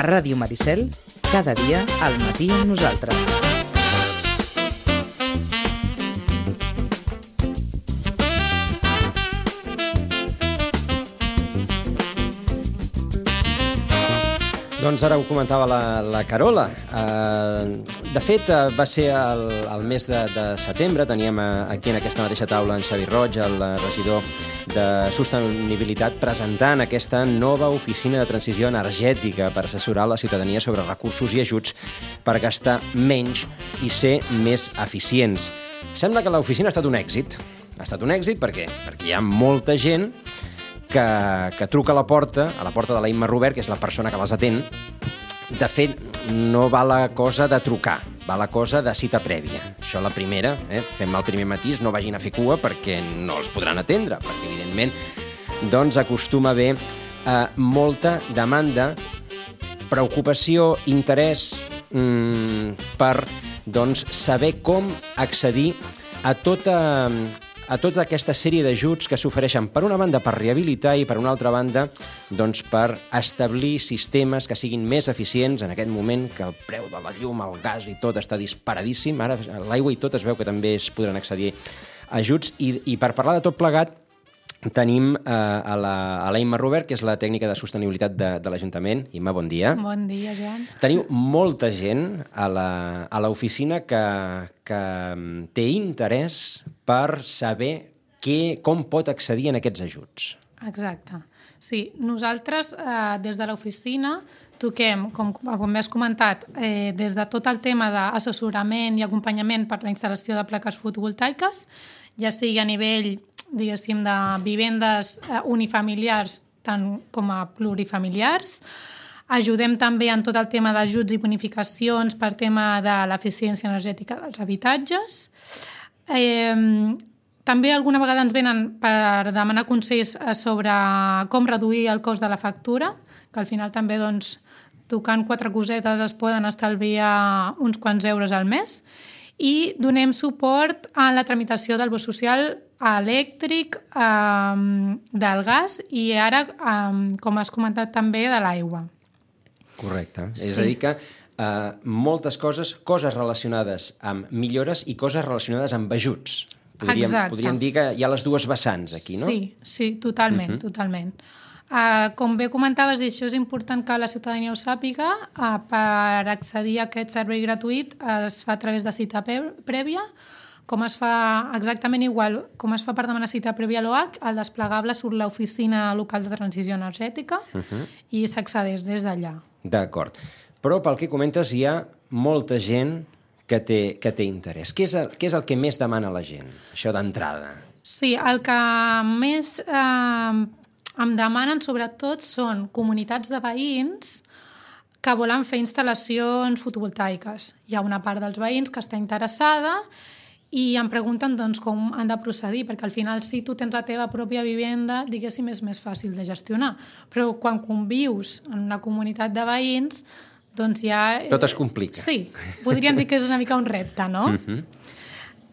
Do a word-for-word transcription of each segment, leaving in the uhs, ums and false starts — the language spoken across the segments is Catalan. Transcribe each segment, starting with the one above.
Ràdio Maricel, cada dia al matí amb nosaltres. Doncs ara ho comentava la, la Carola. Uh, de fet, uh, va ser el, el mes de, de setembre. Teníem uh, aquí en aquesta mateixa taula en Xavi Roig, el uh, regidor de Sostenibilitat, presentant aquesta nova oficina de transició energètica per assessorar la ciutadania sobre recursos i ajuts per gastar menys i ser més eficients. Sembla que l'oficina ha estat un èxit. Ha estat un èxit perquè, perquè hi ha molta gent Que, que truca a la porta, a la porta de la Imma Robert, que és la persona que les atén. De fet, no va la cosa de trucar, va la cosa de cita prèvia. Això la primera, eh? Fem el primer matís, no vagin a fer cua perquè no els podran atendre, perquè evidentment doncs, acostuma a haver eh, molta demanda, preocupació, interès mm, per doncs, saber com accedir a tota... a tota aquesta sèrie d'ajuts que s'ofereixen per una banda per rehabilitar i per una altra banda doncs, per establir sistemes que siguin més eficients en aquest moment que el preu de la llum, el gas i tot està disparadíssim. Ara l'aigua i tot es veu que també es podran accedir a ajuts i, i per parlar de tot plegat tenim eh, a, la, a la Imma Robert, que és la tècnica de sostenibilitat de, de l'Ajuntament. Imma, bon dia. Bon dia, Joan. Teniu molta gent a l'oficina que, que té interès per saber què, com pot accedir en aquests ajuts. Exacte. Sí, nosaltres eh, des de l'oficina toquem, com, com has comentat, eh, des de tot el tema d'assessorament i acompanyament per la instal·lació de plaques fotovoltaiques, ja sigui a nivell diguéssim, de vivendes unifamiliars tant com a plurifamiliars. Ajudem també en tot el tema d'ajuts i bonificacions per tema de l'eficiència energètica dels habitatges. Eh, també alguna vegada ens venen per demanar consells sobre com reduir el cost de la factura, que al final també, doncs, tocant quatre cosetes es poden estalviar uns quants euros al mes. I donem suport a la tramitació del bo social elèctric, eh, del gas i ara, eh, com has comentat també, de l'aigua. Correcte. Sí. És a dir que eh, moltes coses, coses relacionades amb millores i coses relacionades amb ajuts. Podríem, podríem dir que hi ha les dues vessants aquí, no? Sí, sí, totalment, uh-huh. totalment. Uh, com bé comentaves, i això és important que la ciutadania ho sàpiga, uh, per accedir a aquest servei gratuït es fa a través de cita prèvia, com es fa exactament igual, com es fa per demanar cita prèvia a l'O H, el desplegable surt l'oficina local de transició energètica uh-huh. i s'accedeix des d'allà. D'acord. Però pel que comentes hi ha molta gent que té, que té interès. Què és, el, què és el que més demana la gent, això d'entrada? Sí, el que més eh, em demanen sobretot són comunitats de veïns que volen fer instal·lacions fotovoltaiques. Hi ha una part dels veïns que està interessada i em pregunten doncs, com han de procedir, perquè al final si tu tens la teva pròpia vivenda, diguéssim, és més fàcil de gestionar. Però quan convius en una comunitat de veïns, doncs ja... Tot es complica. Sí, podríem dir que és una mica un repte, no? Uh-huh.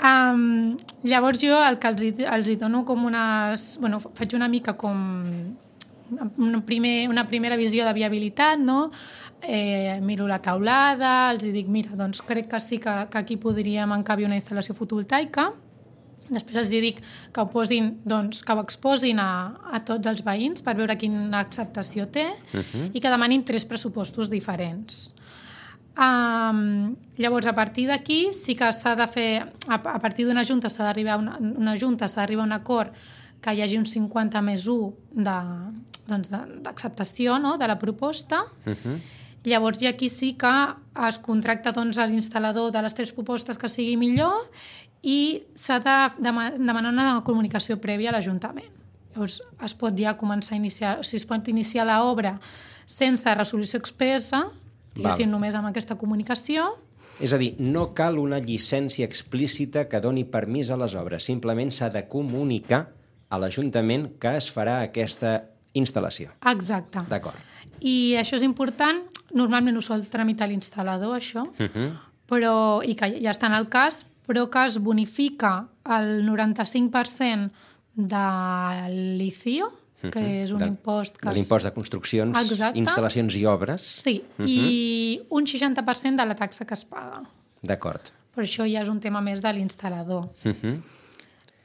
Um, llavors jo el que els hi, els hi dono com unes... Bueno, faig una mica com una, primer, una primera visió de viabilitat, no? Eh, miro la taulada, els dic, mira, doncs crec que sí que, que aquí podríem encabir una instal·lació fotovoltaica. Després els dic que ho posin, doncs, que ho exposin a, a tots els veïns per veure quina acceptació té uh-huh. i que demanin tres pressupostos diferents. Um, llavors, a partir d'aquí sí que s'ha de fer, a, a partir d'una junta s'ha d'arribar a una, una junta, s'ha d'arribar a un acord que hi hagi un cinquanta més u de, doncs, de, d'acceptació, no?, de la proposta. Uh-huh. Llavors, ja aquí sí que es contracta doncs, a l'instal·lador de les tres propostes que sigui millor i s'ha de demanar una comunicació prèvia a l'Ajuntament. Llavors, es pot ja començar a iniciar, o sigui, es pot iniciar l'obra sense resolució expressa, diguéssim, només amb aquesta comunicació. És a dir, no cal una llicència explícita que doni permís a les obres, simplement s'ha de comunicar a l'Ajuntament que es farà aquesta instal·lació. Exacte. D'acord. I això és important, normalment ho sol tramitar l'instal·lador, això, uh-huh. però, i que ja està en el cas, però que es bonifica el noranta-cinc per cent de l'I C I O, que uh-huh. és un de, impost... Que de l'impost de construccions, Exacte. instal·lacions i obres. Sí, uh-huh. i un seixanta per cent de la taxa que es paga. D'acord. Per això ja és un tema més de l'instal·lador. Uh-huh.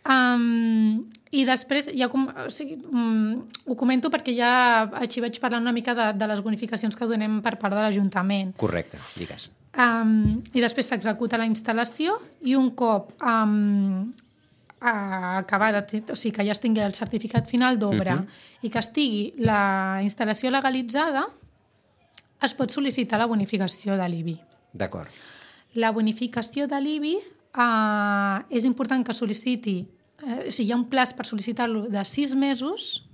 Um, I després, ja com, o sigui, um, ho comento perquè ja així vaig parlant una mica de, de les bonificacions que donem per part de l'Ajuntament. Correcte, digues. Um, I després s'executa la instal·lació i un cop um, acabada, o sigui, que ja es tingui el certificat final d'obra uh-huh. i que estigui la instal·lació legalitzada, es pot sol·licitar la bonificació de l'I B I. D'acord. La bonificació de l'I B I eh, és important que sol·liciti, eh, o sigui, hi ha un plaç per sol·licitar-lo de sis mesos,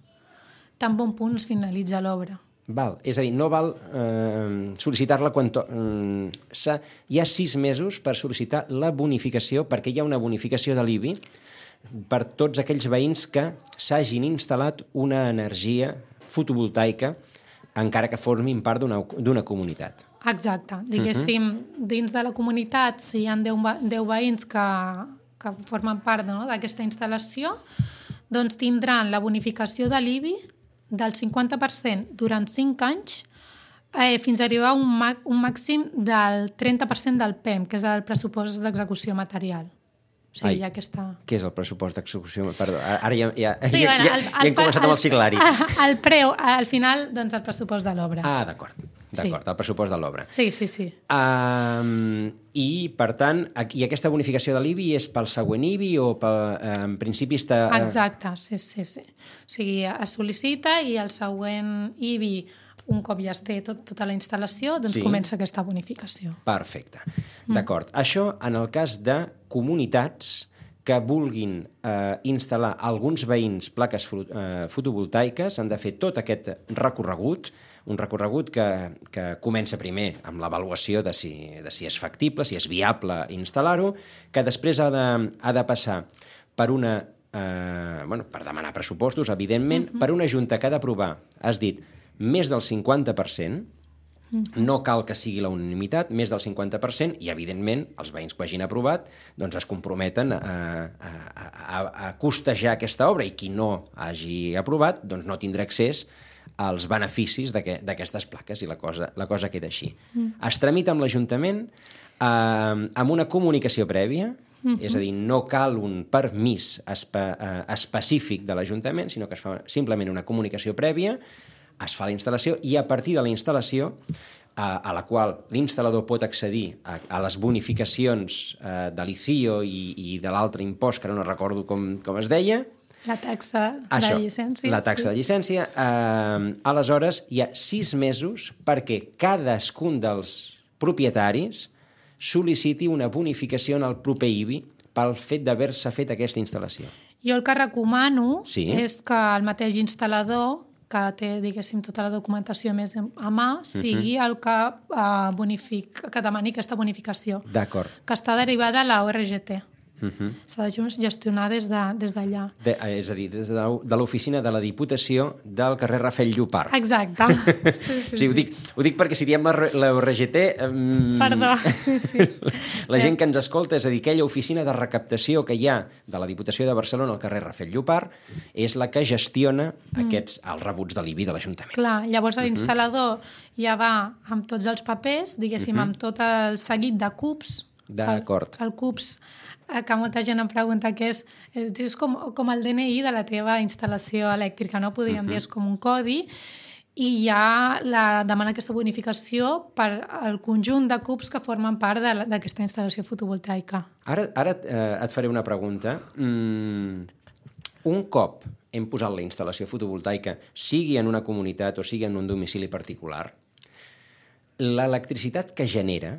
tan bon punt es finalitza l'obra. Val, és a dir, no val eh, sol·licitar-la quan... To... Mm, hi ha sis mesos per sol·licitar la bonificació, perquè hi ha una bonificació de l'I B I per tots aquells veïns que s'hagin instal·lat una energia fotovoltaica encara que formin part d'una comunitat. Exacte. Diguéssim, uh-huh. dins de la comunitat, si hi ha deu veïns que, que formen part, no, d'aquesta instal·lació, doncs tindran la bonificació de l'I B I del cinquanta per cent durant cinc anys eh, fins a arribar a un, un màxim del trenta per cent del P E M, que és el pressupost d'execució material. O sigui, Ai, ja aquesta... Què és el pressupost d'execució? Perdó, ara ja, ja, sí, ja, bueno, ja, el, ja hem començat amb el siglari. El preu, al final, doncs el pressupost de l'obra. Ah, d'acord, d'acord, sí. El pressupost de l'obra. Sí, sí, sí. Um, I, per tant, i aquesta bonificació de l'I B I és pel següent I B I o pel, en principi està... Exacte, sí, sí, sí. O sigui, es sol·licita i el següent I B I, un cop ja es té tot, tota la instal·lació, doncs sí. Comença aquesta bonificació. Perfecte. D'acord. Mm. Això en el cas de comunitats que vulguin eh, instal·lar alguns veïns plaques eh, fotovoltaiques, han de fer tot aquest recorregut, un recorregut que, que comença primer amb l'avaluació de si, de si és factible, si és viable instal·lar-ho, que després ha de, ha de passar per una... Eh, bueno, per demanar pressupostos, evidentment, uh-huh. per una junta que ha d'aprovar, has dit, més del cinquanta per cent, no cal que sigui la unanimitat, més del cinquanta per cent, i evidentment els veïns que ho hagin aprovat doncs es comprometen a, a, a, a costejar aquesta obra, i qui no hagi aprovat doncs no tindrà accés als beneficis d'aquestes plaques, i la cosa, la cosa queda així. Mm. Es tramita amb l'Ajuntament eh, amb una comunicació prèvia, mm-hmm. és a dir, no cal un permís espe, eh, específic de l'Ajuntament, sinó que es fa simplement una comunicació prèvia, es fa la instal·lació, i a partir de la instal·lació, a, a la qual l'instal·lador pot accedir a, a les bonificacions eh, de l'I C I O i, i de l'altre impost, que ara no recordo com, com es deia. La taxa Això, de llicència. La taxa sí. de llicència. Eh, aleshores, hi ha sis mesos perquè cadascun dels propietaris sol·liciti una bonificació en el proper I B I pel fet d'haver-se fet aquesta instal·lació. Jo el que recomano sí. és que el mateix instal·lador, que té, diguéssim, tota la documentació més a mà, sigui uh-huh. el que, uh, bonific, que demani aquesta bonificació. D'acord. Que està derivada a la O R G T. Uh-huh. S'ha de gestionar des d'allà. De, des de, és a dir, des de, de l'oficina de la Diputació del carrer Rafel Llopart. Exacte. Sí, sí, sí, ho, dic, ho dic perquè si diem la, la O R G T... Um, Perdó. Sí. La gent que ens escolta, és a dir, aquella oficina de recaptació que hi ha de la Diputació de Barcelona al carrer Rafel Llopart, és la que gestiona mm. aquests, els rebuts de l'I B I de l'Ajuntament. Clar, llavors l'instal·lador uh-huh. ja va amb tots els papers, diguéssim, uh-huh. amb tot el seguit de C U Ps. D'acord. El, el C U Ps, que molta gent em pregunta que és, és com, com el D N I de la teva instal·lació elèctrica, no? Podríem uh-huh. dir, és com un codi, i ja la, demana aquesta bonificació per al conjunt de C U Ps que formen part d'aquesta instal·lació fotovoltaica. Ara, ara eh, et faré una pregunta. Mm, un cop hem posat la instal·lació fotovoltaica, sigui en una comunitat o sigui en un domicili particular, l'electricitat que genera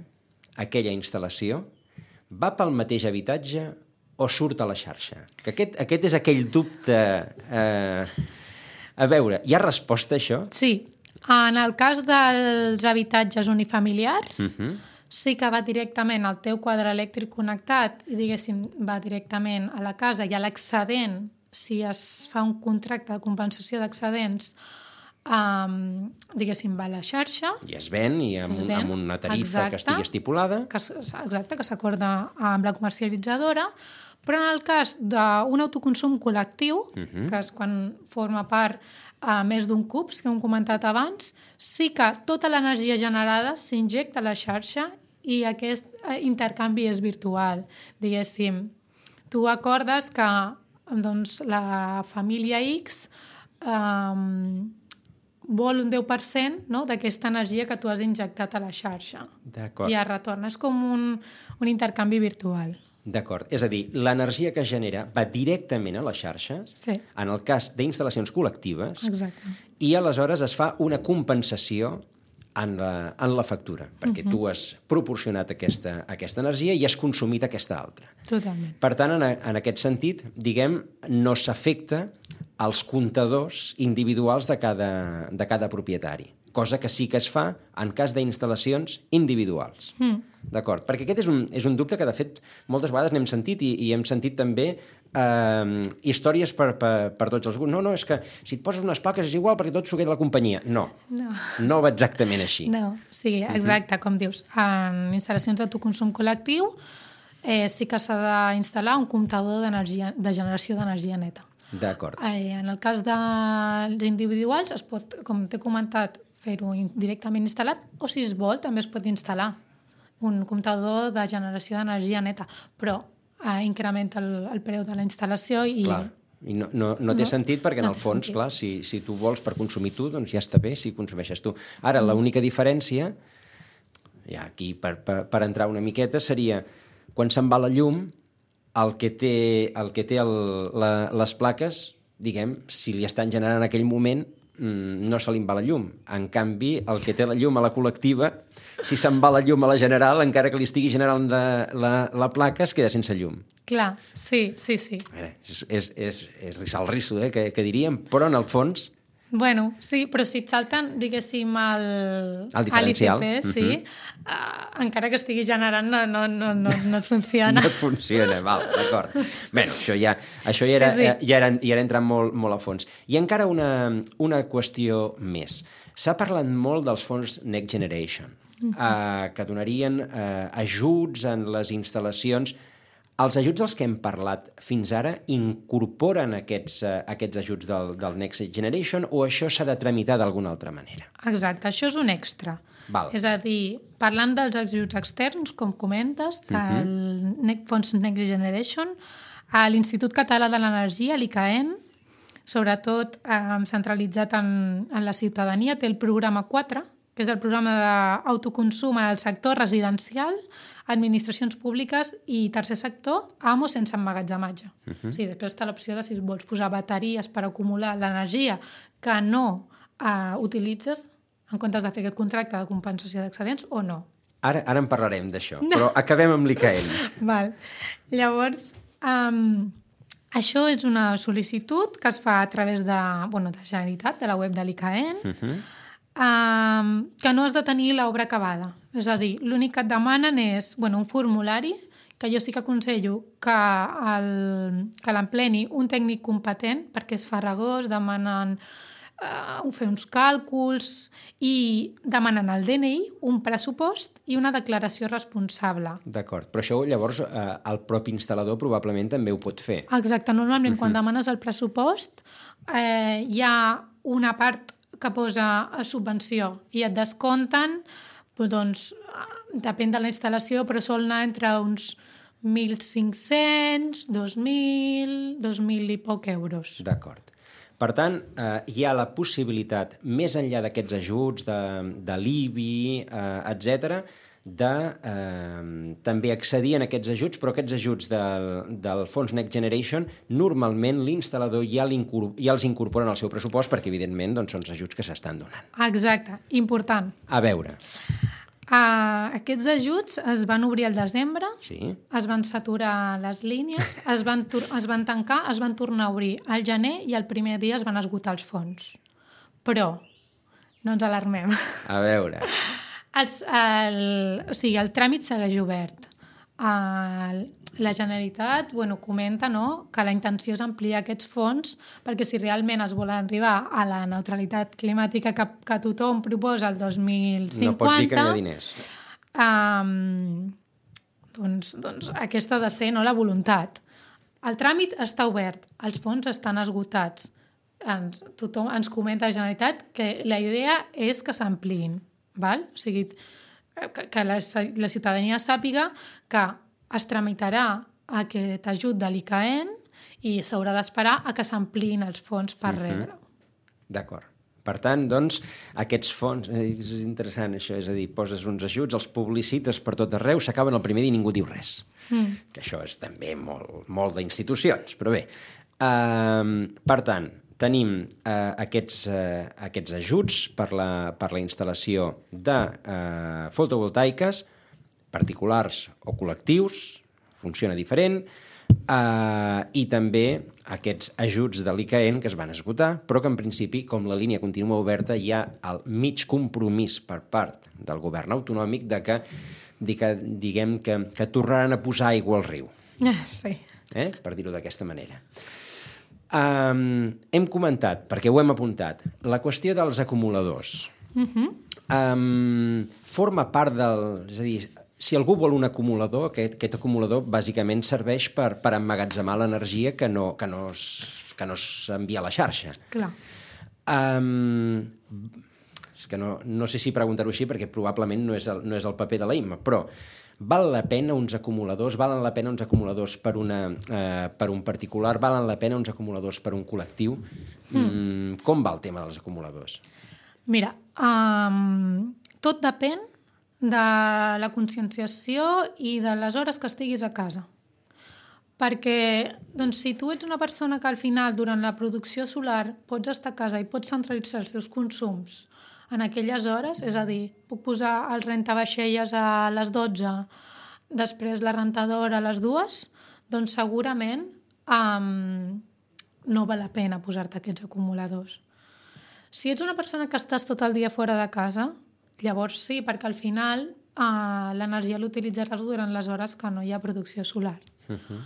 aquella instal·lació va pel mateix habitatge o surt a la xarxa? Que aquest, aquest és aquell dubte... Eh... A veure, hi ha resposta a això? Sí. En el cas dels habitatges unifamiliars, uh-huh. sí que va directament al teu quadre elèctric connectat i, diguéssim, va directament a la casa, i a l'excedent, si es fa un contracte de compensació d'excedents, Um, diguéssim, va a la xarxa. I es ven, i amb, es un, ven, amb una tarifa exacte, que estigui estipulada. Que, exacte, que s'acorda amb la comercialitzadora, Però en el cas d'un autoconsum col·lectiu, Mhm. que és quan forma part a més d'un cubs, que hem comentat abans, sí que tota l'energia generada s'injecta a la xarxa i aquest eh, intercanvi és virtual. Diguéssim, tu acordes que doncs, la família X um, vol un deu per cent, no?, d'aquesta energia que tu has injectat a la xarxa. D'acord. I es retorna. És com un, un intercanvi virtual. D'acord. És a dir, l'energia que es genera va directament a la xarxa, Sí. en el cas d'instal·lacions col·lectives, Exacte. i aleshores es fa una compensació en la, en la factura, perquè uh-huh. tu has proporcionat aquesta, aquesta energia i has consumit aquesta altra. Totalment. Per tant, en, en aquest sentit, diguem, no s'afecta als comptadors individuals de cada, de cada propietari, cosa que sí que es fa en cas d'instal·lacions individuals. Mm. D'acord? Perquè aquest és un, és un dubte que, de fet, moltes vegades n'hem sentit i, i hem sentit també eh, històries per, per, per tots els grups. No, no, és que si et poses unes plaques és igual perquè tot s'ho queda la companyia. No, No. no va exactament així. No, sí, exacte, uh-huh. com dius. En instal·lacions d'autoconsum col·lectiu eh, sí que s'ha d'instal·lar un comptador d'energia, de generació d'energia neta. D'acord. Eh, en el cas dels individuals es pot, com t'he comentat, fer-ho directament instal·lat o, si es vol, també es pot instal·lar un comptador de generació d'energia neta, però eh, incrementa el, el preu de la instal·lació i... Clar. I no, no, no té No, sentit perquè, en no el té fons, sentit. clar, si, si tu vols per consumir tu, doncs ja està bé si consumeixes tu. Ara, l'única diferència, ja aquí per, per, per entrar una miqueta, seria quan se'n va la llum, el que té, el que té el, la, les plaques, diguem, si li estan generant en aquell moment, mmm, no se li en va la llum. En canvi, el que té la llum a la col·lectiva, si se'n va la llum a la general, encara que li estigui generant la, la, la placa, es queda sense llum. Clar, sí, sí, sí. A veure, és, és, és, és rissar el risso, eh, que, que diríem, però en el fons... Bueno, sí, però si et salten, diguéssim, el, El diferencial. l'I T P, sí, Mhm. uh, encara que estigui generant, no, no, no, no, no et funciona. No et funciona, val, d'acord. Bé, això ja, això ja, era, Sí, sí. ja, era, ja era entrant molt, molt a fons. I encara una, una qüestió més. S'ha parlat molt dels fons Next Generation, uh-huh. eh, que donarien eh, ajuts en les instal·lacions. Els ajuts dels que hem parlat fins ara incorporen aquests, uh, aquests ajuts del, del Next Generation o això s'ha de tramitar d'alguna altra manera? Exacte, això és un extra. Val. És a dir, parlant dels ajuts externs, com comentes, del uh-huh. fons Next Generation, a l'Institut Català de l'Energia, l'I C A E N, sobretot eh, centralitzat en, en la ciutadania, té el programa quatre, que és el programa d'autoconsum en el sector residencial, administracions públiques i tercer sector, amo sense emmagatzematge. Uh-huh. Sí, després està l'opció de si vols posar bateries per acumular l'energia que no eh, utilitzes en comptes de fer aquest contracte de compensació d'excedents o no. Ara, ara en parlarem d'això, no. Però acabem amb l'I C A E N. Val. Llavors, um, això és una sol·licitud que es fa a través de, bueno, de Generalitat, de la web de l'I C A E N, uh-huh. um, que no has de tenir l'obra acabada. És a dir, l'únic que et demanen és bueno, un formulari, que jo sí que aconsello que, el, que l'empleni un tècnic competent, perquè és farragós, demanen uh, fer uns càlculs i demanen el D N I, un pressupost i una declaració responsable. D'acord, però això llavors eh, el propi instal·lador probablement també ho pot fer. Exacte, normalment uh-huh. quan demanes el pressupost eh, hi ha una part que posa a subvenció i et descompten, doncs, depèn de la instal·lació, però sol anar entre uns mil cinc-cents, dos mil, dos mil i poc euros. D'acord. Per tant, eh, hi ha la possibilitat, més enllà d'aquests ajuts, de, de l'I B I, eh, etcètera, de eh, també accedir en aquests ajuts, però aquests ajuts del, del fons Next Generation, normalment l'instal·lador ja, ja els incorpora en el seu pressupost perquè, evidentment, doncs, són els ajuts que s'estan donant. Exacte, important. A veure. Uh, aquests ajuts es van obrir al desembre, Sí. es van saturar les línies, es van, es van tancar, es van tornar a obrir al gener i el primer dia es van esgotar els fons. Però no ens alarmem. A veure. Els, el, o sigui, el tràmit segueix obert. El, la Generalitat bueno, comenta no, que la intenció és ampliar aquests fons perquè si realment es vol arribar a la neutralitat climàtica que, que tothom proposa el dos mil cinquanta... No pots dir que no hi ha diners. Um, doncs, doncs aquesta ha de ser no, la voluntat. el tràmit està obert, els fons estan esgotats. Ens, tothom ens comenta la Generalitat que la idea és que s'ampliïn, val? O sigui, que, que la, la ciutadania sàpiga que es tramitarà aquest ajut de l'I C A E N i s'haurà d'esperar a que s'ampliïn els fons per uh-huh. rebre. D'acord. Per tant, doncs, aquests fons... És interessant, això, és a dir, poses uns ajuts, els publicites per tot arreu, s'acaben el primer dia i ningú diu res. Mm. Que això és també molt, molt d'institucions, però bé. Uh, per tant, tenim uh, aquests, uh, aquests ajuts per la, per la instal·lació de uh, fotovoltaiques, particulars o col·lectius, funciona diferent, Uh, i també aquests ajuts de l'I C A E N que es van esgotar, però que en principi, com la línia continua oberta, hi ha el mig compromís per part del govern autonòmic de que, de que diguem que, que tornaran a posar aigua al riu. Sí. Eh? Per dir-ho d'aquesta manera. Um, hem comentat, perquè ho hem apuntat, la qüestió dels acumuladors. Uh-huh. Um, forma part del... És a dir, si algú vol un acumulador, aquest, aquest acumulador bàsicament serveix per, per emmagatzemar l'energia que no, que no es, que no s'envia a la xarxa. Clar. Um, és que no, no sé si preguntar-ho així perquè probablement no és el, no és el paper de la I M A, però val la pena uns acumuladors, valen la pena uns acumuladors per, una, uh, per un particular, valen la pena uns acumuladors per un col·lectiu? Mm. Mm, com va el tema dels acumuladors? Mira, um, tot depèn de la conscienciació i de les hores que estiguis a casa. Perquè doncs, si tu ets una persona que al final, durant la producció solar, pots estar a casa i pots centralitzar els teus consums en aquelles hores, és a dir, puc posar el rentavaixelles a les dotze, després la rentadora a les dues, doncs segurament um, no val la pena posar-te aquests acumuladors. Si ets una persona que estàs tot el dia fora de casa, llavors sí, perquè al final uh, l'energia l'utilitzaràs durant les hores que no hi ha producció solar. Uh-huh.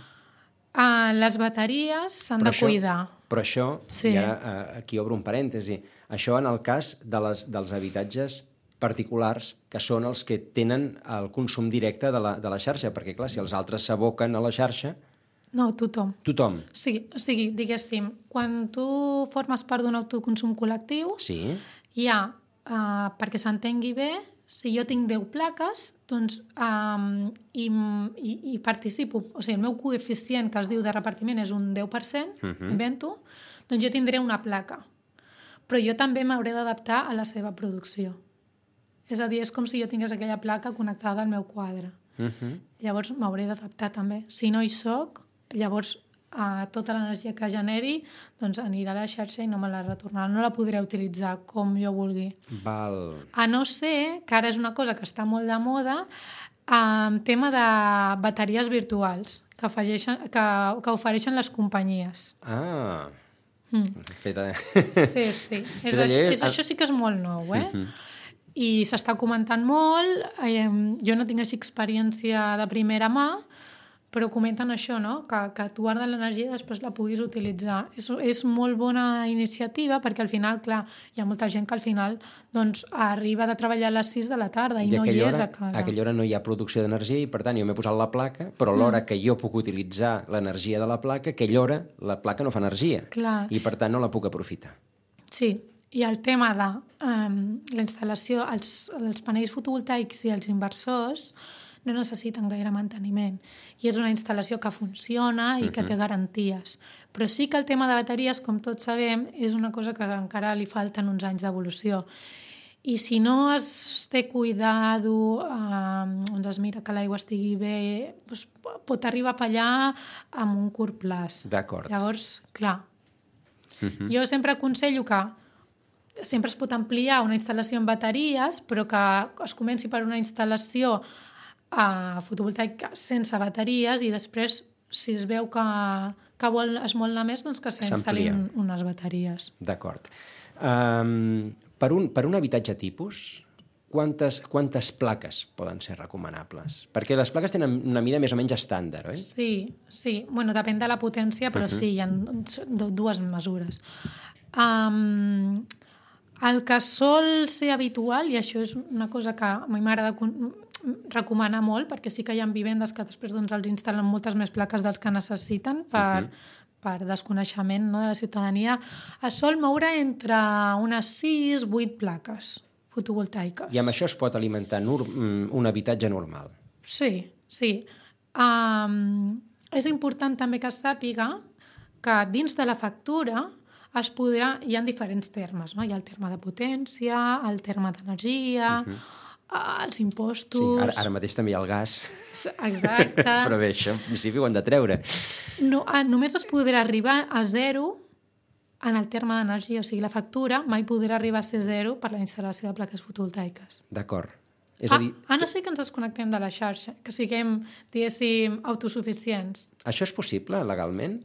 uh, les bateries s'han de això, cuidar. Però això, sí. I ara uh, aquí obro un parèntesi, això en el cas de les, dels habitatges particulars que són els que tenen el consum directe de la, de la xarxa, perquè clar, si els altres s'aboquen a la xarxa... No, tothom. Tothom. Sí, o sigui, diguéssim, quan tu formes part d'un autoconsum col·lectiu, sí. hi ha Uh, perquè s'entengui bé, si jo tinc deu plaques, doncs, um, i, i, i participo, o sigui, el meu coeficient que es diu de repartiment és un deu per cent, uh-huh. invento, doncs jo tindré una placa. Però jo també m'hauré d'adaptar a la seva producció. És a dir, és com si jo tingués aquella placa connectada al meu quadre. Uh-huh. Llavors m'hauré d'adaptar també. Si no hi soc, llavors a tota l'energia que generi doncs anirà a la xarxa i no me la retornarà. No la podré utilitzar com jo vulgui. Val. A no ser, que ara és una cosa que està molt de moda, en tema de bateries virtuals que, afegeixen, que, que ofereixen les companyies. Ah, mm. feta... Sí, sí. És, això, és, això sí que és molt nou, eh? Mm-hmm. I s'està comentant molt. Jo no tinc així experiència de primera mà, però comenten això, no? que, que tu guardes l'energia i després la puguis utilitzar. És, és molt bona iniciativa perquè al final, clar, hi ha molta gent que al final doncs, arriba de treballar a les sis de la tarda i, I no hi és hora, a casa. A aquella hora no hi ha producció d'energia i, per tant, jo m'he posat la placa, però a l'hora mm. que jo puc utilitzar l'energia de la placa, aquella hora la placa no fa energia. Clar. I, per tant, no la puc aprofitar. Sí, i el tema de um, la instal·lació, els, els panells fotovoltaics i els inversors no necessiten gaire manteniment. I és una instal·lació que funciona i que té garanties. Però sí que el tema de bateries, com tots sabem, és una cosa que encara li falten uns anys d'evolució. I si no es té cuidado, eh, doncs es mira que l'aigua estigui bé, doncs pot arribar a fallar amb un curt plaç. D'acord. Llavors, clar, uh-huh. jo sempre aconsello que sempre es pot ampliar una instal·lació amb bateries, però que es comenci per una instal·lació a fotovoltaica sense bateries i després, si es veu que, que vol, es vol anar més, doncs que s'instal·lin unes bateries. D'acord. Um, per, un, per un habitatge tipus, quantes, quantes plaques poden ser recomanables? Perquè les plaques tenen una mida més o menys estàndard, oi? Sí, sí. Bueno, depèn de la potència, però uh-huh. sí, hi ha dues mesures. Um, el que sol ser habitual, i això és una cosa que a mi m'agrada recomanar molt, perquè sí que hi ha vivendes que després doncs, els instal·len moltes més plaques dels que necessiten per, uh-huh. per desconeixement, no, de la ciutadania. Es sol moure entre unes sis vuit plaques fotovoltaiques. I amb això es pot alimentar nur- un habitatge normal? Sí, sí. Um, és important també que es sàpiga que dins de la factura es podrà, hi ha diferents termes, no? Hi ha el terme de potència, el terme d'energia, uh-huh. els impostos... Sí, ara, ara mateix també hi ha el gas. Exacte. Però bé, això en principi ho han de treure. No, ah, només es podrà arribar a zero en el terme d'energia, o sigui, la factura mai podrà arribar a ser zero per la instal·lació de plaques fotovoltaiques. D'acord. És Ah, a dir, a no ser que ens desconnectem de la xarxa, que siguem, diguéssim, autosuficients. això és possible legalment?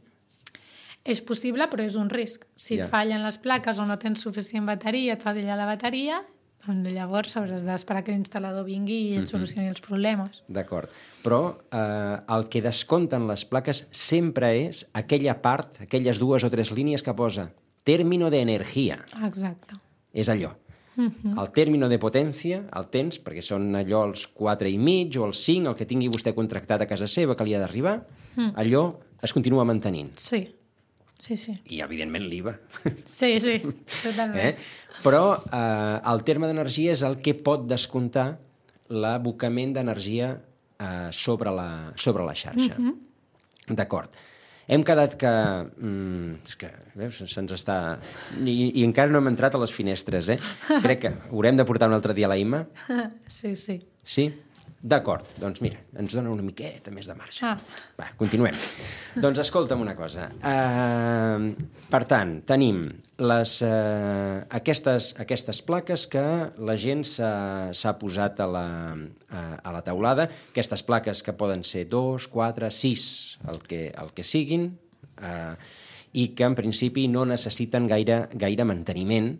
És possible, però és un risc. Si Ja. et fallen les plaques o no tens suficient bateria, et falla la bateria, doncs llavors hauràs d'esperar que l'instal·lador vingui i et solucioni els problemes. D'acord. Però eh, el que descompten les plaques sempre és aquella part, aquelles dues o tres línies que posa término de energia. Exacte. És allò. Uh-huh. El término de potència el tens, perquè són allò els quatre i mig o els cinc, el que tingui vostè contractat a casa seva que li ha d'arribar, uh-huh. allò es continua mantenint. Sí, sí, sí. I, evidentment, l'I V A. Sí, sí, totalment. Eh? Però eh, el terme d'energia és el que pot descomptar l'abocament d'energia eh, sobre, la, sobre la xarxa. Uh-huh. D'acord. Hem quedat que... Mm, és que, veus, se'ns està... I, I encara no hem entrat a les finestres, eh? Crec que haurem de portar un altre dia a la Imma. Sí, sí. Sí? D'acord. Doncs mira, ens dona una miqueta més de marge. Ah. Va, continuem. Doncs escolta'm una cosa. Uh, per tant, tenim les, uh, aquestes, aquestes plaques que la gent s'ha posat a la, a, a la teulada, aquestes plaques que poden ser dos, quatre, sis, el que, el que siguin, uh, i que en principi no necessiten gaire, gaire manteniment,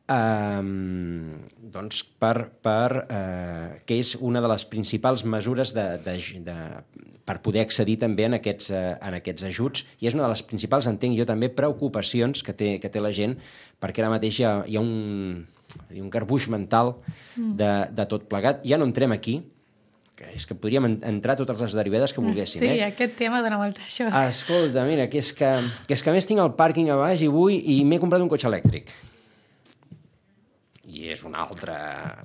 Um, doncs per, per, uh, que és una de les principals mesures de, de, de, per poder accedir també en aquests, uh, en aquests ajuts, i és una de les principals, entenc jo també, preocupacions que té, que té la gent, perquè ara mateix hi ha, hi ha un, un garbuix mental de, de tot plegat. Ja no entrem aquí, que és que podríem entrar totes les derivades que volguéssim. Sí, eh? aquest tema dona molta això. Escolta, mira, que és que, que és que a més tinc el pàrquing a baix i vull i m'he comprat un cotxe elèctric. I és un altre,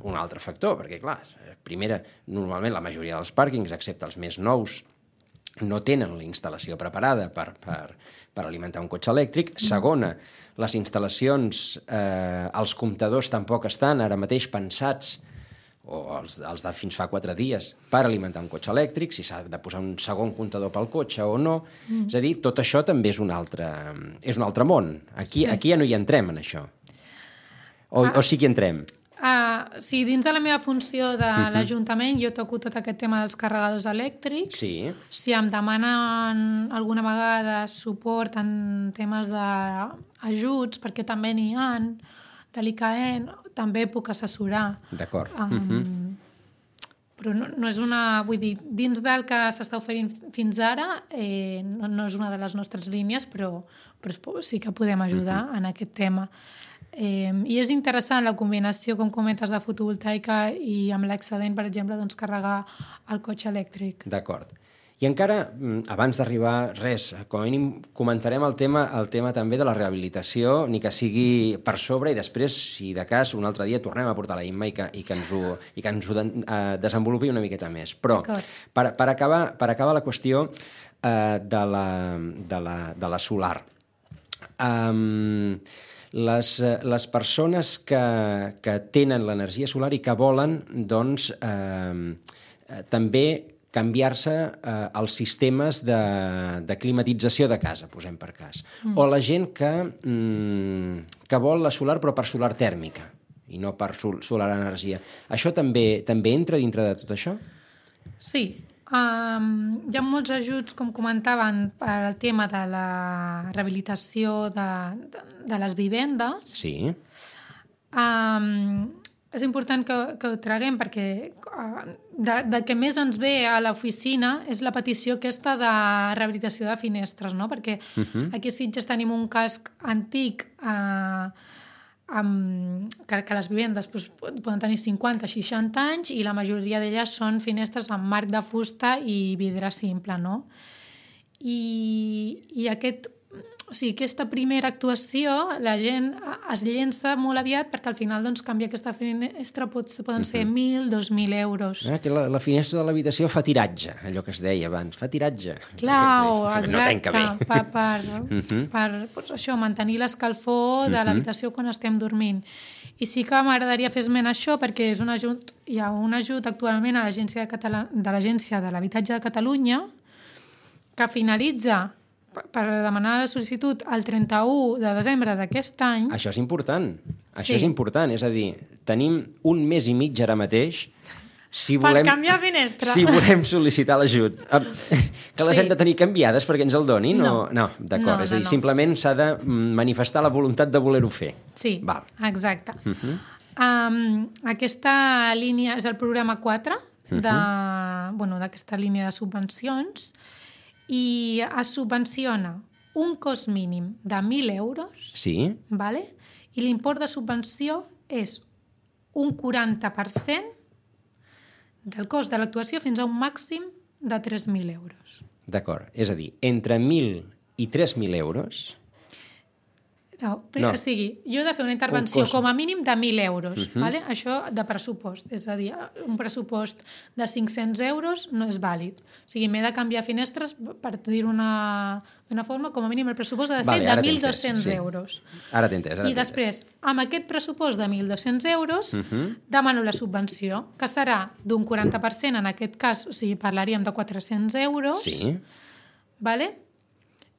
un altre factor, perquè, clar, primera, normalment la majoria dels pàrquings, excepte els més nous, no tenen la instal·lació preparada per, per, per alimentar un cotxe elèctric. Segona, les instal·lacions, eh, els comptadors tampoc estan ara mateix pensats, o els, els de fins fa quatre dies, per alimentar un cotxe elèctric, si s'ha de posar un segon comptador pel cotxe o no. Mm. És a dir, tot això també és un altre, és un altre món. Aquí, sí. Aquí ja no hi entrem, en això. O, ah, o sí que entrem? Uh, sí, dins de la meva funció de uh-huh. l'Ajuntament jo toco tot aquest tema dels carregadors elèctrics. Sí. Si em demanen alguna vegada suport en temes d'ajuts, perquè també n'hi ha, de l'I K E, també puc assessorar. D'acord. Um, uh-huh. Però no, no és una... Vull dir, dins del que s'està oferint fins ara, eh, no, no és una de les nostres línies, però, però sí que podem ajudar uh-huh. en aquest tema. Eh, I és interessant la combinació, com comentes, de fotovoltaica i amb l'excedent, per exemple, doncs, carregar el cotxe elèctric. D'acord. I encara, abans d'arribar, res, com a mínim comentarem el tema, el tema també de la rehabilitació, ni que sigui per sobre, i després, si de cas, un altre dia tornem a portar la Imma i que, i que ens ho, i que ens ho de, uh, desenvolupi una miqueta més. Però, per, per, acabar, per acabar la qüestió uh, de, la, de, la, de la solar, um, Les, les persones que, que tenen l'energia solar i que volen, doncs, eh, també canviar-se eh, els sistemes de, de climatització de casa, posem per cas. Mm. O la gent que, mm, que vol la solar però per solar tèrmica i no per sol, solar energia. Això també, també entra dintre de tot això? Sí. Um, hi ha molts ajuts, com comentaven, per al tema de la rehabilitació de, de, de les vivendes. Sí. Um, és important que, que ho traguem perquè uh, de, de que més ens ve a l'oficina és la petició aquesta de rehabilitació de finestres, no? Perquè uh-huh. aquí a Sitges tenim un casc antic uh, amb, que, que les vivendes doncs, poden tenir cinquanta a seixanta anys i la majoria d'elles són finestres amb marc de fusta i vidre simple, no? I, i aquest, o sigui, aquesta primera actuació la gent es llença molt aviat perquè al final doncs, canviar aquesta finestra pot, poden ser mil, dos mil euros. Ah, que la, la finestra de l'habitació fa tiratge, allò que es deia abans, fa tiratge. Clar, exacte, no tanca bé. per, per, uh-huh. per doncs, això, mantenir l'escalfor de uh-huh. l'habitació quan estem dormint. I sí que m'agradaria fer esment això perquè és un ajut, hi ha un ajut actualment a l'Agència de, Catala, de l'Agència de l'Habitatge de Catalunya que finalitza per demanar la sol·licitud el trenta-u de desembre d'aquest any. Això és important. Això sí. és important. És a dir, tenim un mes i mig ara mateix si per volem, canviar finestra. Si volem sol·licitar l'ajut. Que les sí. hem de tenir canviades perquè ens el donin? No, o... no d'acord. No, no, és a dir, no. simplement s'ha de manifestar la voluntat de voler-ho fer. Sí, Val. exacte. Uh-huh. Um, aquesta línia és el programa quatre de, uh-huh. bueno, d'aquesta línia de subvencions i es subvenciona un cost mínim de mil euros, sí. vale? I l'import de subvenció és un quaranta per cent del cost de l'actuació fins a un màxim de tres mil euros. D'acord, és a dir, entre mil i tres mil euros... No, no. O sigui, jo he de fer una intervenció com a mínim de mil euros, uh-huh. vale? Això de pressupost. És a dir, un pressupost de cinc-cents euros no és vàlid. O sigui, m'he de canviar finestres, per dir-ho d'una forma, com a mínim el pressupost ha de ser vale, de mil dos-cents sí. euros. Ara t'he entès. I després, amb aquest pressupost de mil dos-cents euros, uh-huh. demano la subvenció, que serà d'un quaranta per cent, en aquest cas, o sigui, parlaríem de quatre-cents euros, sí. vale?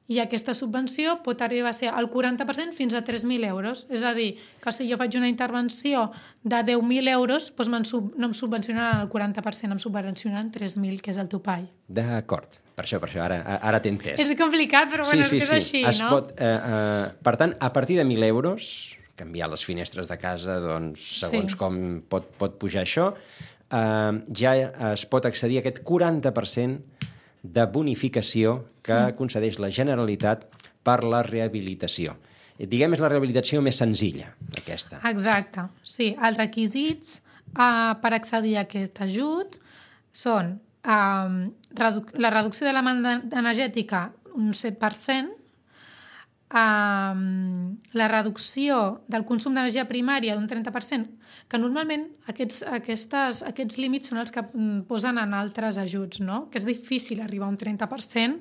I aquesta subvenció pot arribar a ser el quaranta per cent fins a tres mil euros. És a dir, que si jo faig una intervenció de deu mil euros, doncs sub... no em subvencionaran el quaranta per cent, em subvencionaran tres mil, que és el topall. D'acord. Per això, per això, ara, ara t'he entès. És complicat, però bueno, sí, sí, és que és sí. així, es no? Pot, eh, eh, per tant, a partir de mil euros, canviar les finestres de casa, doncs, segons sí. com pot, pot pujar això, eh, ja es pot accedir a aquest quaranta per cent de bonificació que mm. concedeix la Generalitat per la rehabilitació. Diguem, és la rehabilitació més senzilla, aquesta. Exacte, sí. Els requisits uh, per accedir a aquest ajut són uh, redu- la reducció de la demanda energètica un set per cent, uh, la reducció del consum d'energia primària d'un trenta per cent, que normalment aquests, aquestes, aquests límits són els que posen en altres ajuts, no? Que és difícil arribar a un trenta per cent,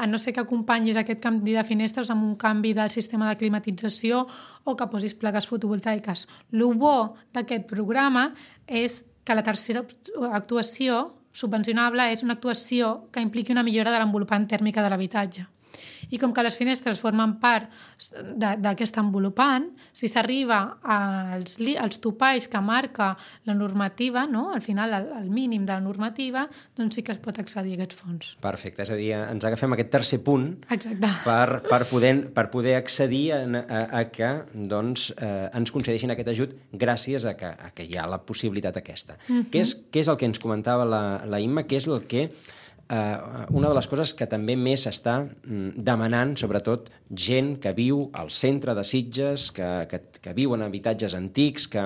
a no ser que acompanyis aquest canvi de finestres amb un canvi del sistema de climatització o que posis plaques fotovoltaiques. El bo d'aquest programa és que la tercera actuació subvencionable és una actuació que impliqui una millora de l'envolupant tèrmica de l'habitatge. I com que les finestres formen part d'aquest envolupant, si s'arriba als, als topalls que marca la normativa, no? Al final el, el mínim de la normativa, doncs sí que es pot accedir a aquests fons. Perfecte, és a dir, ens agafem aquest tercer punt Exacte. per, per, poder, per poder accedir a, a, a que doncs, eh, ens concedeixin aquest ajut gràcies a que, a que hi ha la possibilitat aquesta. Mm-hmm. Què és, què és el que ens comentava la, la Imma? Què és el que... Uh, una de les coses que també més s'està mm, demanant, sobretot gent que viu al centre de Sitges, que, que, que viu en habitatges antics, que,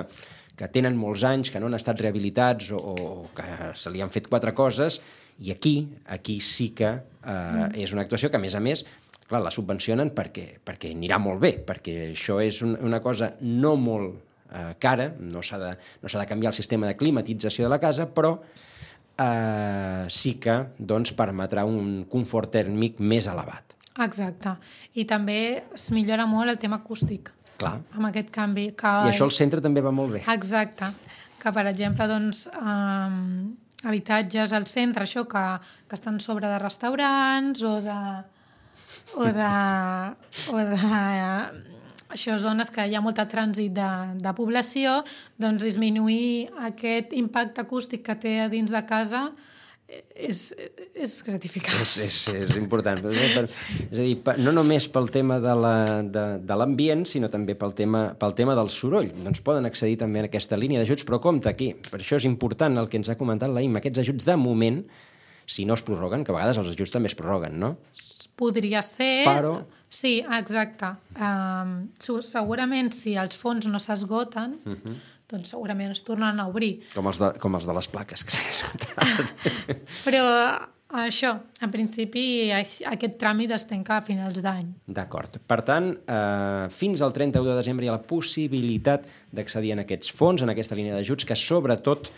que tenen molts anys, que no han estat rehabilitats o, o que se li han fet quatre coses, i aquí, aquí sí que uh, mm. és una actuació que, a més a més, clar, la subvencionen perquè, perquè anirà molt bé, perquè això és un, una cosa no molt uh, cara, no s'ha de, no s'ha de canviar el sistema de climatització de la casa, però Uh, sí que doncs, permetrà un confort tèrmic més elevat. Exacte. I també es millora molt el tema acústic. Clar. Amb aquest canvi. Que... I això al centre també va molt bé. Exacte. Que, per exemple, doncs, um, habitatges al centre, això que, que estan sobre de restaurants o de... o de... o de això, zones que hi ha molt trànsit de, de població, doncs disminuir aquest impacte acústic que té a dins de casa és, és gratificant. És, és, és important. És a dir, no només pel tema de l'ambient, sinó també pel tema, pel tema del soroll. Doncs poden accedir també a aquesta línia d'ajuts, però compte aquí, per això és important el que ens ha comentat la Imma, aquests ajuts de moment si no es prorroguen, que a vegades els ajuts també es prorroguen, no? Podria ser... Però... Sí, exacte. Um, segurament, si els fons no s'esgoten, uh-huh. doncs segurament es tornen a obrir. Com els de, com els de les plaques, que s'han esgotat. Però això, en principi, aquest tràmit es tanca a finals d'any. D'acord. Per tant, eh, fins al trenta-u de desembre hi ha la possibilitat d'accedir en aquests fons, en aquesta línia d'ajuts, que sobretot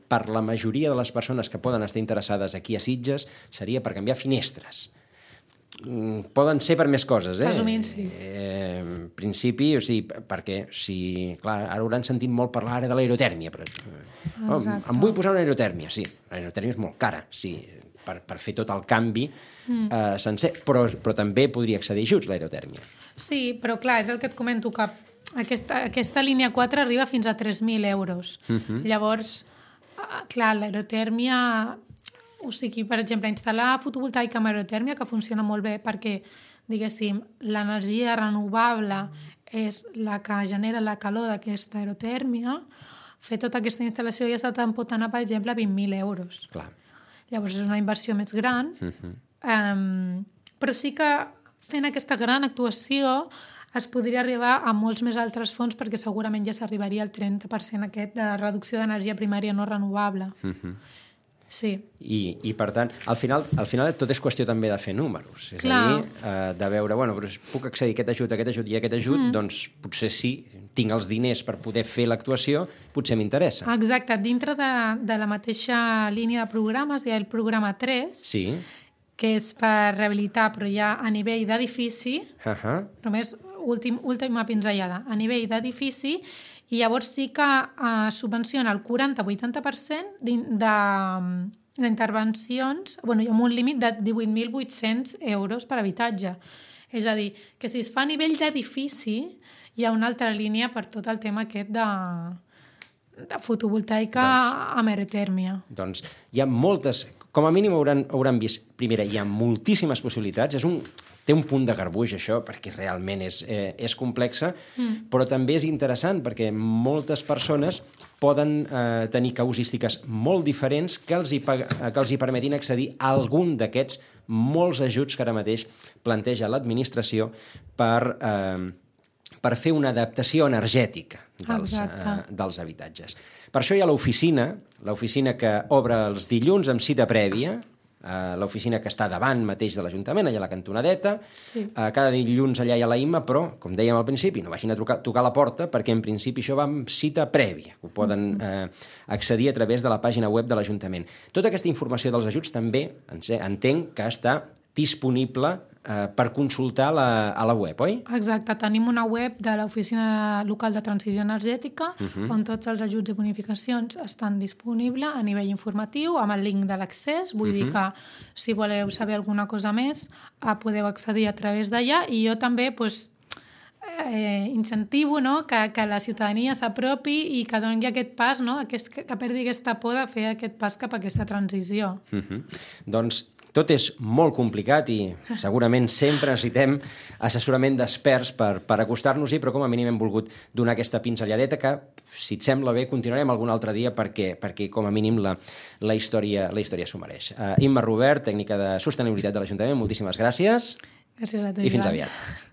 per la majoria de les persones que poden estar interessades aquí a Sitges seria per canviar finestres. Poden ser per més coses, eh? Resumint, sí. Eh, en principi, o sigui, perquè si... Clar, ara hauran sentit molt parlar ara de l'aerotèrmia, però... Oh, em vull posar una aerotèrmia, sí. L'aerotèrmia és molt cara, sí, per, per fer tot el canvi mm. eh, sencer, però, però també podria accedir a ajuts, l'aerotèrmia. Sí, però clar, és el que et comento, que aquesta, aquesta línia quatre arriba fins a tres mil euros. Uh-huh. Llavors, clar, l'aerotèrmia... O sigui, per exemple, instal·lar fotovoltaica amb aerotèrmia, que funciona molt bé perquè, diguéssim, l'energia renovable és la que genera la calor d'aquesta aerotèrmia, fer tota aquesta instal·lació ja se'n pot anar, per exemple, a vint mil euros. Clar. Llavors és una inversió més gran, uh-huh. um, però sí que fent aquesta gran actuació es podria arribar a molts més altres fons perquè segurament ja s'arribaria al trenta per cent aquest de reducció d'energia primària no renovable. Uh-huh. Sí. I, i per tant, al final, al final tot és qüestió també de fer números. És Clar. a dir, eh, de veure, bueno, però puc accedir a aquest ajut, a aquest ajut i a aquest ajut, mm. doncs potser sí, tinc els diners per poder fer l'actuació, potser m'interessa. Exacte. Dintre de, de la mateixa línia de programes hi ha el programa tres, sí. que és per rehabilitar, però ja a nivell d'edifici, uh-huh. només últim, última pinzellada, a nivell d'edifici, i llavors sí que eh, subvenciona el quaranta a vuitanta per cent d'intervencions, bueno, hi ha un límit de divuit mil vuit-cents euros per habitatge. És a dir, que si es fa a nivell d'edifici, hi ha una altra línia per tot el tema aquest de, de fotovoltaica doncs, amb aerotèrmia. Doncs hi ha moltes, com a mínim hauran, hauran vist, primera, hi ha moltíssimes possibilitats, és un... Té un punt de garbuix, això, perquè realment és, eh, és complexa, mm. però també és interessant perquè moltes persones poden eh, tenir causístiques molt diferents que els, hi, que els hi permetin accedir a algun d'aquests molts ajuts que ara mateix planteja l'administració per, eh, per fer una adaptació energètica dels, eh, dels habitatges. Per això hi ha l'oficina, l'oficina que obre els dilluns amb cita prèvia, Uh, l'oficina que està davant mateix de l'Ajuntament, allà a la cantonadeta. Sí. Uh, cada dilluns allà hi ha la Imma, però, com dèiem al principi, no vagin a trucar, tocar la porta, perquè en principi això va amb cita prèvia, que ho poden uh, accedir a través de la pàgina web de l'Ajuntament. Tota aquesta informació dels ajuts també entenc que està disponible eh, per consultar la, a la web, oi? Exacte, tenim una web de l'Oficina Local de Transició Energètica uh-huh. on tots els ajuts i bonificacions estan disponibles a nivell informatiu, amb el link de l'accés. Vull uh-huh. dir que si voleu saber alguna cosa més eh, podeu accedir a través d'allà, i jo també pues, eh, incentivo no? que, que la ciutadania s'apropi i que doni aquest pas, no? aquest, que perdi aquesta por de fer aquest pas cap a aquesta transició. Uh-huh. Doncs tot és molt complicat i segurament sempre necessitem assessorament d'experts per, per acostar-nos-hi, però com a mínim hem volgut donar aquesta pinzelladeta que, si et sembla bé, continuarem algun altre dia perquè, perquè com a mínim la, la història la història s'ho mereix. Uh, Imma Robert, tècnica de sostenibilitat de l'Ajuntament, moltíssimes gràcies. Gràcies a tu, i fins Joan. aviat.